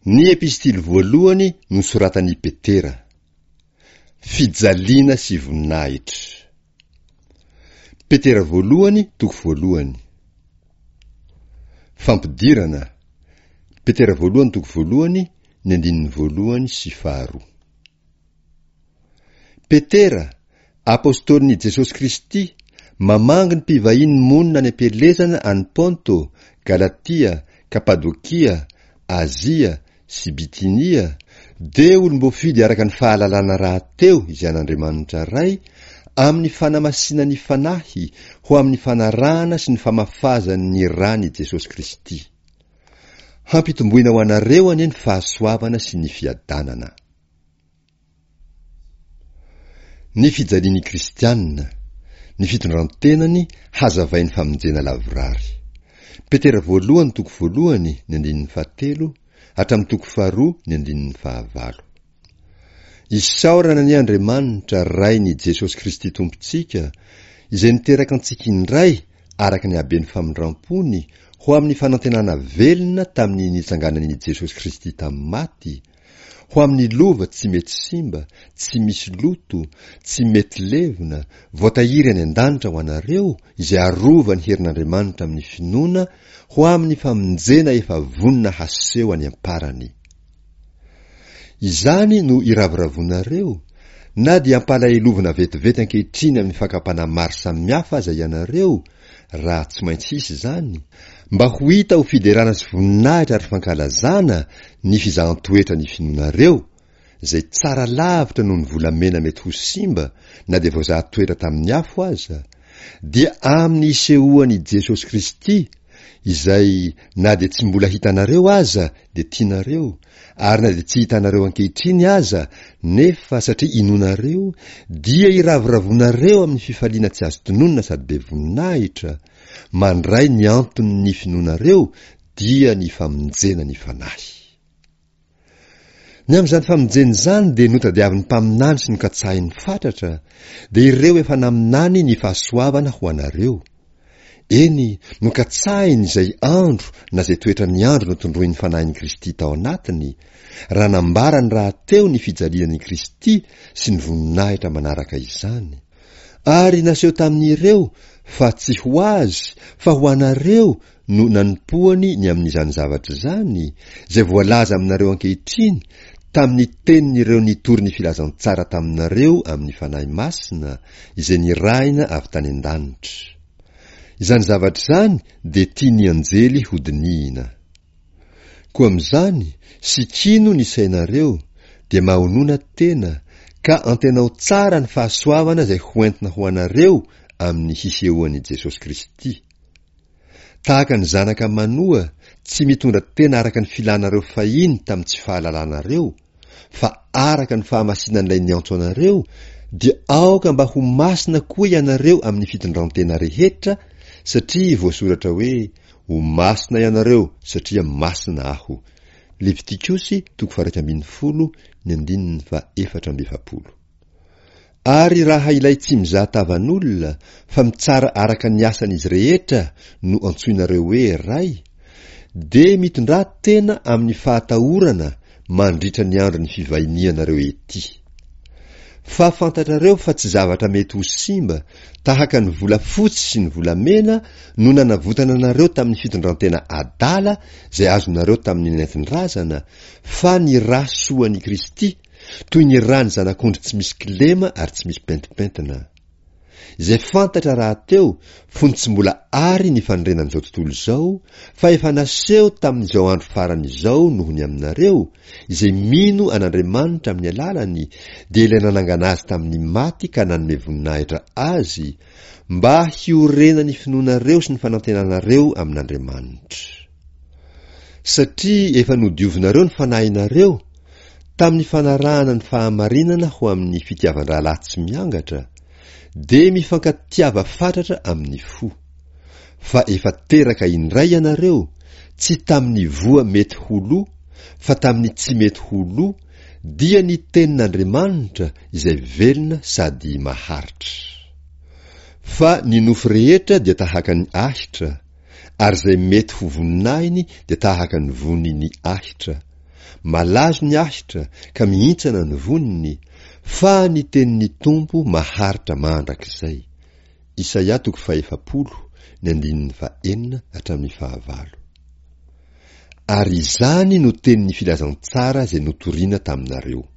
Ny epistily voalohany nosoratan'i Petera. Fijaliana sy voninahitra. Petera voalohany toko voalohany. Fampidirana, Petera voalohany toko voalohany ny andininy voalohany sy faharoa. Petera, Apostolin'i Jesosy Kristy, mamangy ny mpivahiny monina any am-pielezana any Ponto, Galatia, Kapadokia, Azia sy Bitynia, dia olom-boafidy araka ny fahalalana rahateo izay an'Andriamanitra Ray, amin'ny fanamasinan'ny Fanahy ho amin'ny fanarahana sy ny famafazany ny ran'i Jesosy Kristy. Hampitomboina ho anareo anie ny fahasoavana sy ny fiadanana. Ny fijalian'ny kristiana, ny fitondran-tenany hazavain'ny famonjena lavorary. Petera voalohany toko voalohany ny andininy fahatelo hatramin'ny toko faharoa ny andininy fahavalo. Isaorana anie Andriamanitra Rain'i Jesosy Kristy Tompontsika, izay niteraka antsika indray araka ny haben'ny famindram-pony ho amin'ny fanantenana velona tamin'ny nitsanganan'i Jesosy Kristy tamin'ny maty, ho amin'ny lova tsy mety simba, tsy misy loto, tsy mety levona, voatahiry any an-danitra ho anareo izay arovan'ny herin'Andriamanitra amin'ny finoana ho amin'ny famonjena efa vonona haseho any am-parany. Izany no iravoravoanareo, na dia ampalahelovina vetivety ankehitriny amin'ny fakam-panahy maro samihafa aza ianareo, raha tsy maintsy hisy izany, mba ho hita ho fiderana sy voninahitra ary fankalazana ny fizahan-toetra ny finoanareo, izay tsara lavitra noho ny volamena mety ho simba na dia voazaha toetra tamin'ny afo aza, dia amin'ny isehoan'i Jesosy Kristy, izay na dia tsy mbola hitanareo aza dia tianareo, ary na dia tsy hitanareo ankehitriny aza, nefa satria inoanareo, dia iravoravoanareo amin'ny fifaliana tsy azo tononina sady be voninahitra, mandray ny anton'ny finoanareo, dia ny famonjena ny fanahy. Ny amin'izany famonjena izany dia notadiavin'ny mpaminany sy nokatsahiny fatratra, dia ireo efa naminany ny fahasoavana ho anareo. Eny, nokatsahiny izay andro na izay toetran'ny andro notondroin'ny Fanahin'i Kristy tao anatiny, raha nambarany rahateo ny fijalian'i Kristy sy ny voninahitra manaraka izany. Ary naseho tamin'ireo fa tsy ho azy fa ho anareo no nanompoany ny amin'izany zavatra izany, izay voalaza aminareo ankehitriny tamin'ny tenin'ireo nitory ny filazantsara taminareo amin'ny Fanahy Masina, izay nirahina avy tany an-danitra. Izany zavatra izany dia tian'ny anjely hodinihina. Koa amin'izany, sikino ny sainareo, dia mahonona tena, ka antenao tsara ny fahasoavana izay hoentina ho anareo amin'ny hisehoan'i Jesosy Kristy. Tahaka ny zanaka manoa, tsy mitondra tena araka ny filanareo fahiny tamin'ny tsy fahalalanareo, fa araka ny fahamasinan'ilay niantso anareo, dia aoka mba ho masina koa ianareo amin'ny fitondrantena rehetra, satria voasoratra hoe, Ho masina ianareo, satria masina Aho. Levitikosy toko faha-11 ny andininy faha-44. Ary raha ilay tsy mizaha tavan'olona fa mitsara araka ny asan'izy rehetra no antsoinareo hoe Ray, dia mitondrà tena amin'ny fahatahorana mandritra ny andron'ny fivahinianareo ety. Fa fantatrareo fa tsy zavatra mety ho simba tahaka ny volafotsy sy ny volamena no nanavotana anareo tamin'ny fitondrantena adala izay azonareo tamin'ny nentin-drazana, fa ny rà soan'i Kristy, toy ny ràn'ny zanak'ondry tsy misy kilema ary tsy misy pentimpentina. Izay fantatra rahateo fony tsy mbola àry ny fanorenan'izao tontolo izao, fa efa naseho tamin'izao andro farany izao noho ny aminareo, izay mino an'Andriamanitra amin'ny alalany, dia ilay nanangana azy tamin'ny maty ka nanome voninahitra azy, mba hiorenan'ny finoanareo sy ny fanantenanareo amin'Andriamanitra. Satria efa nodiovinareo ny fanahinareo, Tamin'ny fanarahana ny fahamarinana ho amin'ny fitiavan-drahalahy tsy miangatra, dia mifankatiava fatratra amin'ny fo. Fa efa teraka indray ianareo, tsy tamin'ny voa mety ho lo, fa tamin'ny tsy mety ho lo, dia ny Tenin'Andriamanitra izay velona sady maharitra. Fa ny nofo rehetra dia tahaka ny ahitra, ary izay mety ho voninahiny dia tahaka ny vonin'ny ahitra. Malazo ny ahitra ka mihintsana ny voniny, fa ny tenin'ny Tompo maharitra mandrakizay. Isaia toko fahefapolo, ny andininy fahenina hatramin'ny fahavalo. Ary izany no tenin'ny filazantsara izay notorina taminareo.